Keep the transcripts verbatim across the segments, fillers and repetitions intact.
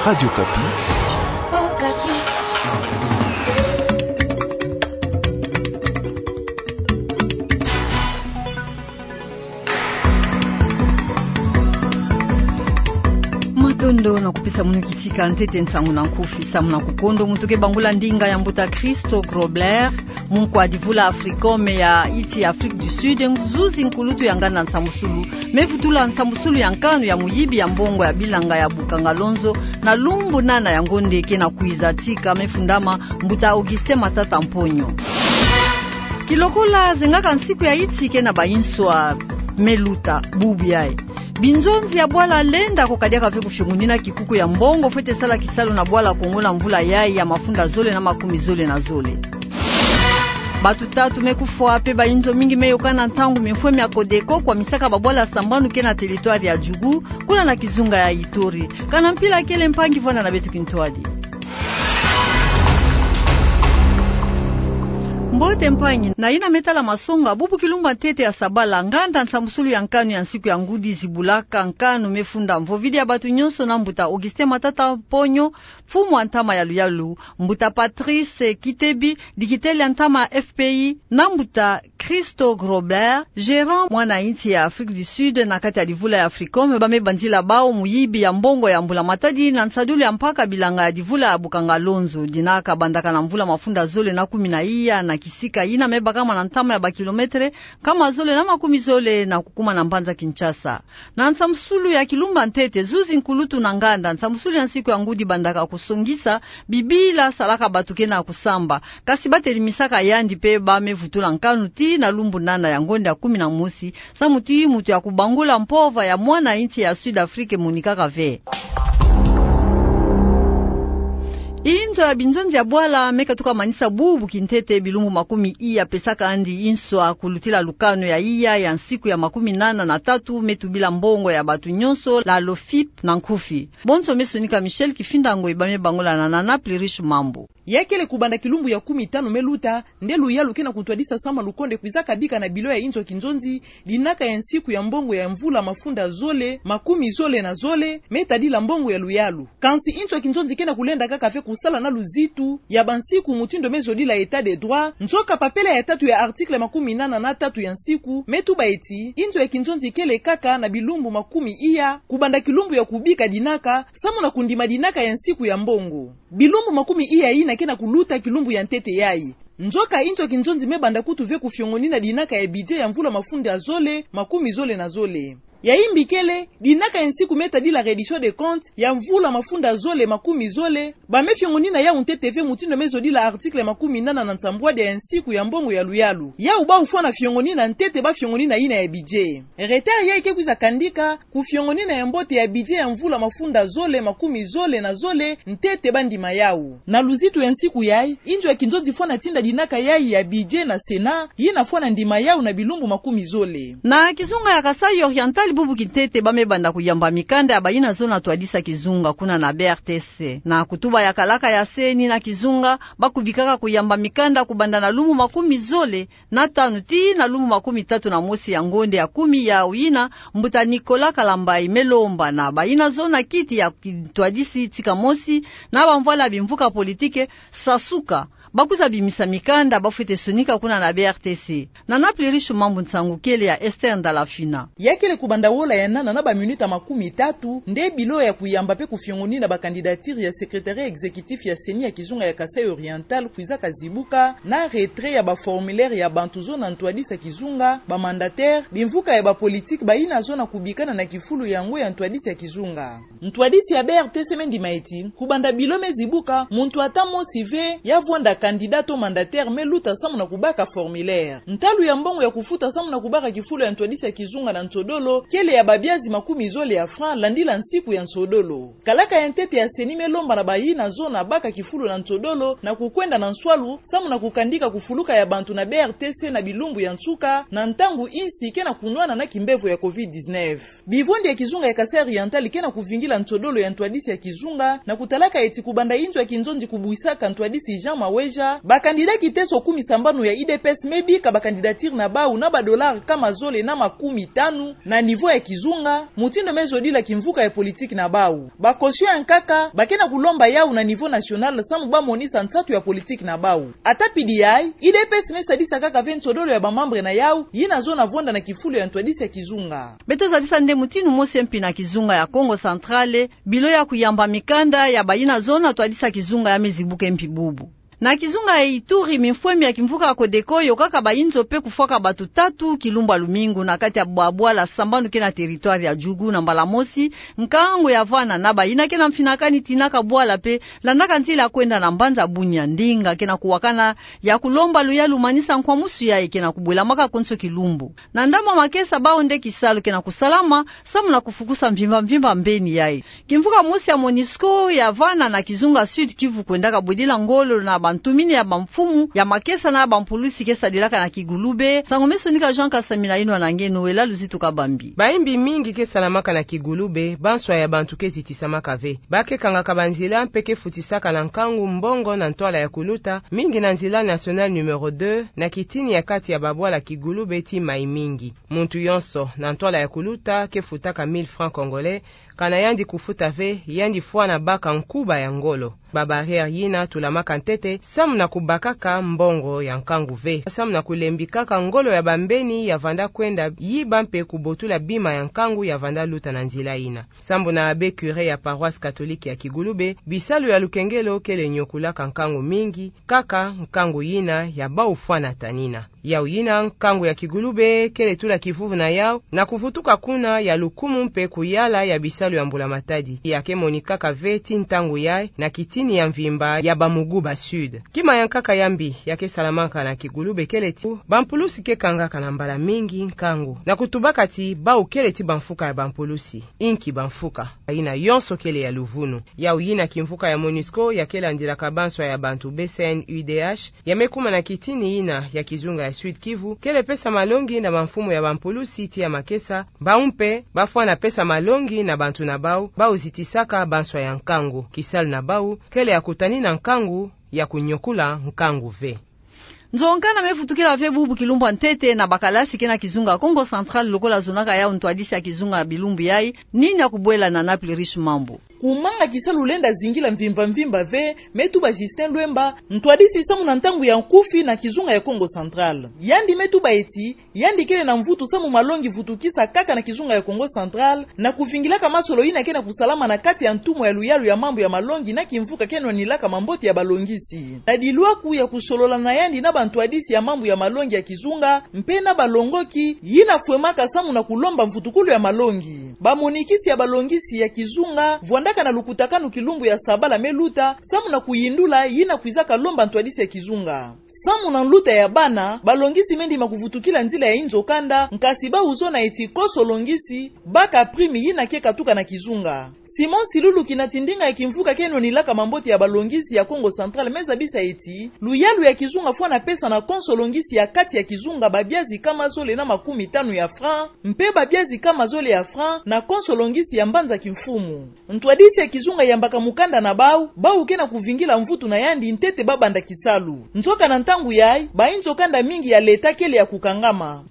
Radio Okapi. Matondo na kupesa mono kisika ntete nsangu na nkufi. Samu na kukondo, mu tuke bangula ndinga ya mbuta Christo Grobler, munkwa divula Africom ya iti Afrique du Sud, nzuzi nkulutu ya nganda nsambusulu me vutula nsambusulu ya nkanu ya muyibi ya mbongo ya bilanga ya Bukanga Lonzo, na lumbu nana ya ngonde ke na kwiza tika me fundama, mbuta Augustin Matata Mponyo. Kilokola zengaka nsiku ya iti ke na bayinswa me luta, bubu yayi, binzonzi ya bwala lenda ko kadiaka ve kufiongonina kikuku ya mbongo fwete sala kisalu na bwala Kongo na mvula yayi ya mafunda zole na makumi zole na zole. Batu tatu me kufwa pe bayinzo mingi me yokana ntangu mifwe mia Codeco kwamisaka babwala sambanu ke na territoire ya Djugu, kuna na kizunga ya Ituri. Kana mpila kele mpangi, vwanda na beto kintwadi. Mbote mpangi, na yina me tala masonga, bubu kilumbu ya ntete ya sabala, nganda nsambusulu ya nkanu ya nsiku ya ngudi zibulaka nkanu me funda mvovidi ya batu nyonso na mbuta Augustin Matata Mponyo, mfumu wa ntama ya luyalu, mbuta Patrice Kitebi, dikiteli ya ntama F P I, na mbuta Christo Grobler, gérant mwana insi ya Afrique du Sud na kati ya divula ya Africom, ba me bandila bawu muyibi ya mbongo ya mbula matadi na nsadulu ya mpaka bilanga ya divula ya Bukanga Lonzo, dina kabandaka na mvula mafunda zole na kumi na iya na kisika yina me bakama na ntama ya bakilometre nkama zole na makumi zole na kukuma na mbanza Kinshasa. Na nsambusulu ya kilumbu ya ntete, zuzi nkulutu na nganda nsambusulu ya nsiku ya ngudi bandaka kusongisa bibila salaka batu ke na kusamba, kasi ba telimisaka yandi pe ba me vutula nkanu tii na lumbu nana ya ngonde ya kumi na mosi, samu tii mutu ya kubangula mpova ya mwana insi ya Sud Afrique monikaka ve. Inzo ya binzonzi ya bwala me katuka manisa bubu kintete bilumbu makumi iya pesaka yandi inswa kulutila lukanu ya iya ya nsiku ya makumi nana na tatu me tubila mbongo ya batu nyonso, la LOFIP na nkufi. Bonso me sonika Michel Kifinda Ngoi, ba me bangula na Nana Plurish Mambu. Ya kele kubanda kilumbu ya kumi tanu me luta, nde luyalu ke na kutwadisa samu lukonde kwiza kabika na bilo ya inzo ya kinzonzi, dinaka ya nsiku ya mbongo ya mvula mafunda zole, makumi zole na zole, me tadila mbongo ya luyalu. Kansi inzo ya kinzonzi ke na kulenda kaka ve kusala na luzitu ya bansiku mutindu me zodila état de droit, nzoka papela ya tatu ya article makumi nana na tatu ya nsiku me tuba eti, inzo ya kinzonzi kele kaka na bilumbu makumi iya, kubanda kilumbu ya kubika dinaka, samu na kundima dinaka ya nsiku ya mbongo. Bilumbu makumi iya yina ke na kuluta kilumbu ya ntete yayi. Nzoka inzo ya kinzonzi me banda kutu ve kufiongonina dinaka ya budget ya mvula mafunda zole, makumi zole na zole. Ya imbi kele, dinaka ya nsiku me tadila reddition de compte ya mvula mafunda zole, makumi zole, ba me fiongonina yawu ntete ve mutindu me zodila article makumi nana na nsambwadia ya nsiku ya mbongo ya luyalu. Yawu bawu fwana fiongonina ntete ba fiongonina yina ya budget. Retard yayi ke kwiza kandika kufiongonina ya mbote ya budget ya mvula mafunda zole, makumi zole na zole, ntete ba ndima yawu. Na luzitu ya nsiku yayi, inzo ya kinzonzi fwana tinda dinaka yayi ya budget na Sénat, yina fwana ndima yawu na bilumbu makumi zole. Na kizunga ya Kasaï Oriental, bubu kintete ba me banda kuyamba mikanda ya bayina zona twadisa kizunga kuna na B R T C. Na kutuba ya kalaka ya CENI na kizunga, ba kubikaka kuyamba mikanda kubanda na lumbu makumi zole na tanu tii na lumbu makumi tatu na mosi ya ngonde ya kumi, yawu yina mbuta Nicolas Kalambayi me lomba na bayina zona kiti ya kintwadisi tika mosi na bamvwala bimvuka politike, sasuka, ba kwiza bimisa mikanda ba fwete sonika kuna na B R T C. Nana Plurish Mambu, nsangu kele ya Esther Ndalafina. Ya kele kubanda wola ya nana na baminuta makumi tatu, nde bilo ya kuyamba pe kufiongonina ba candidature ya secrétariat exécutif ya CENI ya kizunga ya Kasaï Oriental kwiza kazibuka, na retrait ya ba formulaire ya bantu zona ntwadisa kizunga, ba mandataire, bimvuka ya ba politique, bayina zona kubikana na kifulu yango ya ntwadisi ya kizunga. Ntwadisi ya B R T C me ndima eti, kubanda bilo me zibuka, muntu ata mosi ve ya vwanda candidat to mandataire me luta samu na kubaka formulaire. Ntalu ya mbongo ya kufuta samu na kubaka kifulu ya ntwadisi ya kizunga na nsodolo kele ya babiazi makumi zole ya franc, landila nsiku ya nsodolo. Kalaka ya ntete ya CENI me lomba na bayina zona baka kifulu na nsodolo na kukwenda na nswalu, samu na kukandika kufuluka ya bantu na B R T C na bilumbu ya nsuka, na ntangu insi ke na kunwana na kimbevo ya covid dix-neuf. Bivondi ya kizunga ya Kasaï Oriental ke na kuvingila nsodolo ya ntwadisi ya kizunga, na kutalaka eti kubanda inzo ya kinzonzi kubwisaka ntwadisi Jean Maweja, Bakandida kiteso kumi sambanu ya U D P S me bika bakandidatire na bau na ba dollars kama zole na makumi tanu na niveau ya kizunga, mutindu me zodila kimvuka ya politiki na bau. Ba caution ya nkaka ba ke na kulomba yau na niveau national samu ba monisa nsatu ya politiki na bau. Ata pidi yayi, U D P S me sadisa kaka ve nsodolo ya ba membres na yau yina zona vwanda na kifulu ya ntwadisi ya kizunga. Beto zabisa nde mutindu mosi mpi na kizunga ya Kongo Central, bilo ya kuyamba mikanda ya bayina zona ntwadisi ya kizunga ya me zibuka mpi bubu. Na kizunga ya Ituri, mifwemi ya kimvuka ya Codeco yokaka bayinzo mpe kufwaka batu tatu kilumbu ya lumingu na kati ya ba bwala sambanu ke na territoire ya Djugu. Na mbala mosi, nkangu ya vwanda na bayina ke na mfinakani tinaka bwala mpe landaka nzila ya kwenda na mbanza Bunia. Ndinga ke na kuwakana ya kulomba luyalu manisa nkwamusu yayi ke na kubwelamaka konso kilumbu. Na ndambu ya makesa, bau nde kisalu ke na kusalama samu na kufukusa mvimba mvimba mbeni yayi. Kimvuka mosi ya Monusco ya vwanda na kizunga Sud-Kivu kwendaka bwedila ngolo na bantumini ya bamfumu ya makesa na bampulusi ke sadilaka na Kigulube. Nsangu me sonika Jean Kasamina, inwa na nge Noëlla Luzitu Kabambi. Bayimbi mingi ke salamaka na Kigulube, banswa ya bantu ke zitisamaka ve. Ba ke kangaka banzila mpe ke futisaka na nkangu mbongo na ntwala ya kuluta, mingi na nzila nationale numéro deux, na kitini ya kati ya ba bwala Kigulube tii Mai-Mingi. Muntu yonso na ntwala ya kuluta ke futaka mille francs congolais, kana yandi kufuta ve, yandi fwana baka nkuba ya ngolo. Ba barrières yina tulamaka ntete samu na kubakaka mbongo ya nkangu ve, samu na kulembikaka ngolo ya bambeni ya vwanda kwenda yiba mpe kubotula bima ya nkangu ya vwanda luta na nzila yina. Sambu na abbé curé ya paroisse catholique ya Kigulube, bisalu ya lukengelo kele nyokulaka nkangu mingi, kaka nkangu yina ya bau fwana tanina. Yau yina, nkangu ya Kigulube kele tula kivuvu na yau na kuvutuka kuna ya lukumu mpe kuyala ya bisalu ya mbula matadi ya ke monikaka ve tii ntangu yayi na kitini ya mvimba ya ba Muguba Sud. Kima ya nkaka ya mbi ya ke salamaka na Kigulube kele ti bampulusi ke kangaka na mbala mingi nkangu na kutubaka ti bau kele ti bamfuka ya bampulusi, inki bamfuka yina yonso kele ya luvunu. Yau yina, kimvuka ya Monusco ya ke landilaka banswa ya bantu, B C N U D H, ya me kuma na kitini yina ya kizunga ya Sud-Kivu, kele pesa malongi na bamfumu ya bampulusi tii ya makesa, bau mpe ba fwana pesa malongi na bantu na bau, bau zitisaka banswa ya nkangu. Kisalu na bau kele ya kutanina nkangu, ya kunyokula nkangu ve. Nzo-nkanda me vutukila ve bubu kilumbu ya ntete na bakalasi ke na kizunga Kongo Central lokola zonaka yau ntwadisi ya kizunga bilumbu yayi. Nini ya kubwela na Naples Riche Mambu? Kumanga kisalu lenda zingila mvimba mvimba ve, me tuba Justin Lwemba, ntwadisi samu na ntangu ya nkufi na kizunga ya Kongo Central. Yandi me tuba eti, yandi kele na mvutu samu malongi vutukisa kaka na kizunga ya Kongo Central, na kuvingilaka masolo yina ke na kusalama na kati ya ntumwa ya luyalu ya mambu ya malongi na kimvuka ke nwanilaka mambote ya balongisi. Na dilwaku ya kusolola na yandi na bantwadisi ya mambu ya malongi ya kizunga, mpe na balongoki, yina fwemaka samu na kulomba mvutukulu ya malongi. Bamonikisi ya balongisi ya kizunga vwandaka na lukutakanu kilumbu ya sabala me luta, samu na kuyindula yina kwizaka lomba ntwadisi ya kizunga. Samu na nluta ya bana, balongisi me ndima kuvutukila nzila ya inzo-kanda, nkasi bau zona eti konso longisi baka prime yina ke katuka na kizunga. Simon Silulu, kina ti ndinga ya kimvuka ke nwanilaka mambote ya balongisi ya Kongo Central, me zabisa eti luyalu ya kizunga fwana pesa na konso longisi ya kati ya kizunga babia zikama zole na makumi tanu ya francs, mpe babia zikama zole ya francs na konso longisi ya mbanza kimfumu. Ntwadisi ya kizunga yambaka mukanda na bau, bau ke na kuvingila mvutu na yandi ntete ba banda kisalu. Nzoka na ntangu yayi, bainzo-kanda mingi ya leta kele ya kukangama.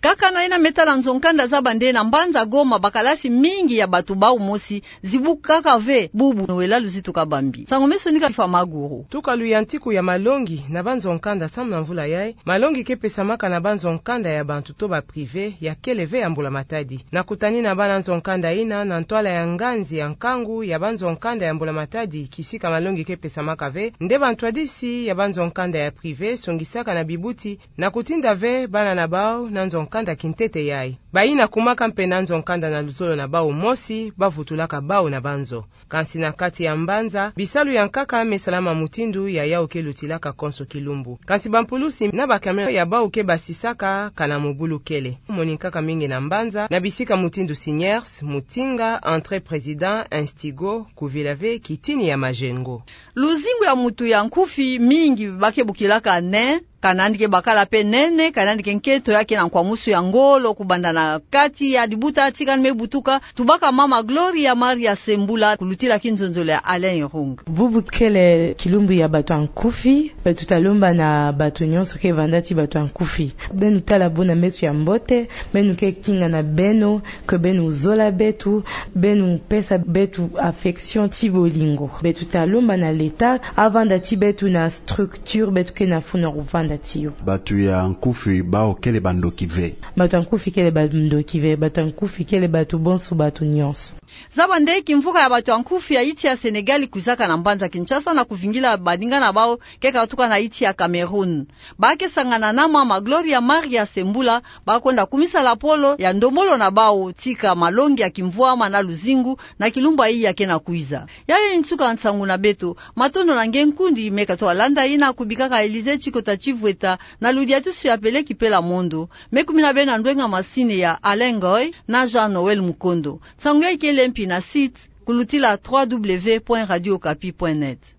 Kaka na yina me tala nzo-nkanda za bande, na mbanza Goma bakalasi mingi ya batu bau mosi zibukaka ve, bubu Noëlla Luzitu Kabambi. Nsangu me sonika Tifa Maguru. Tuka luyantiku ya malongi na banzo-nkanda samu na mvula yayi, malongi ke pesamaka na banzo-nkanda ya bantu to ba privé ya kele ve ya mbula matadi. Na kutanina bana nzo-nkanda yina na ntwala ya nganzi ya nkangu ya banzo-nkanda ya mbula matadi, kisika malongi ke pesamaka ve, nde bantwadisi ya banzo-nkanda ya privé songisaka na bibuti na kutinda ve bana na bau na nzo-nkanda kintete yayi. Bayina kumaka mpe na nzo-nkanda na luzolo na bau mosi, bavutulaka bau na banzo. Kansi na kati ya mbanza, bisalu ya nkaka me salama mutindu ya yau ke lutilaka konso kilumbu. Kansi bampulusi na ba camion ya bau ke basisaka kana mobulu kele. Moni nkaka mingi na mbanza, na bisika mutindu Siniers, Mutinga, Entrée Président, Instigo, kuvila ve kitini ya Majengo. Luzingu ya mutu ya nkufi mingi ba ke bokilaka ne Ka nandike bakala pe nene, ka nandike nkento ya ke na nkwamusu ya ngolo kubanda na kati ya libuta tika ni me butuka. Tubaka mama Gloria Maria Sembula kulutila kinzonzolo ya Alain Irung. Bubu kele kilumbu ya bato ya nkufi, beto ta lomba na bato nyonso ke vanda ti bato ya nkufi: beno tala bo na meso ya mbote, beno ke kinga na beno, ke beno zola beto, beno pesa beto affection ti bolingo. Beto ta lomba na l'État avanda ti beto na structure beto ke na funu ya kuvanda ti yo. Bato ya nkufi bawu kele bandoki ve? Bato ya nkufi kele bandoki ve, bato ya nkufi kele bato bonso, bato nyonso. Zaba nde kimvuka ya bato ya nkufi ya iti ya Sénégal kwizaka na mbanza Kinshasa na kuvingila baninga na bawu ke katuka na iti ya Cameroun. Ba ke sangana na mama Gloria Maria Sembula, ba kwenda kumisa lapolo ya ndombolo na bawu tika malongi ya kimvwama na luzingu na kilumbu yayi ya ke na kwiza. Yayi nsuka nsangu na beto. Matondo na nge nkundi me katoa landa yina kubikaka Élysée Tsikota Tsivweta na ludiatusu ya Peleki Pela Mondo. Me kumina beno na ndwenga masini ya Alain Ngoy na Jean Noël Mukondo. Nsangu yayi kele mpi na site kulutila trois W point radio okapi point net.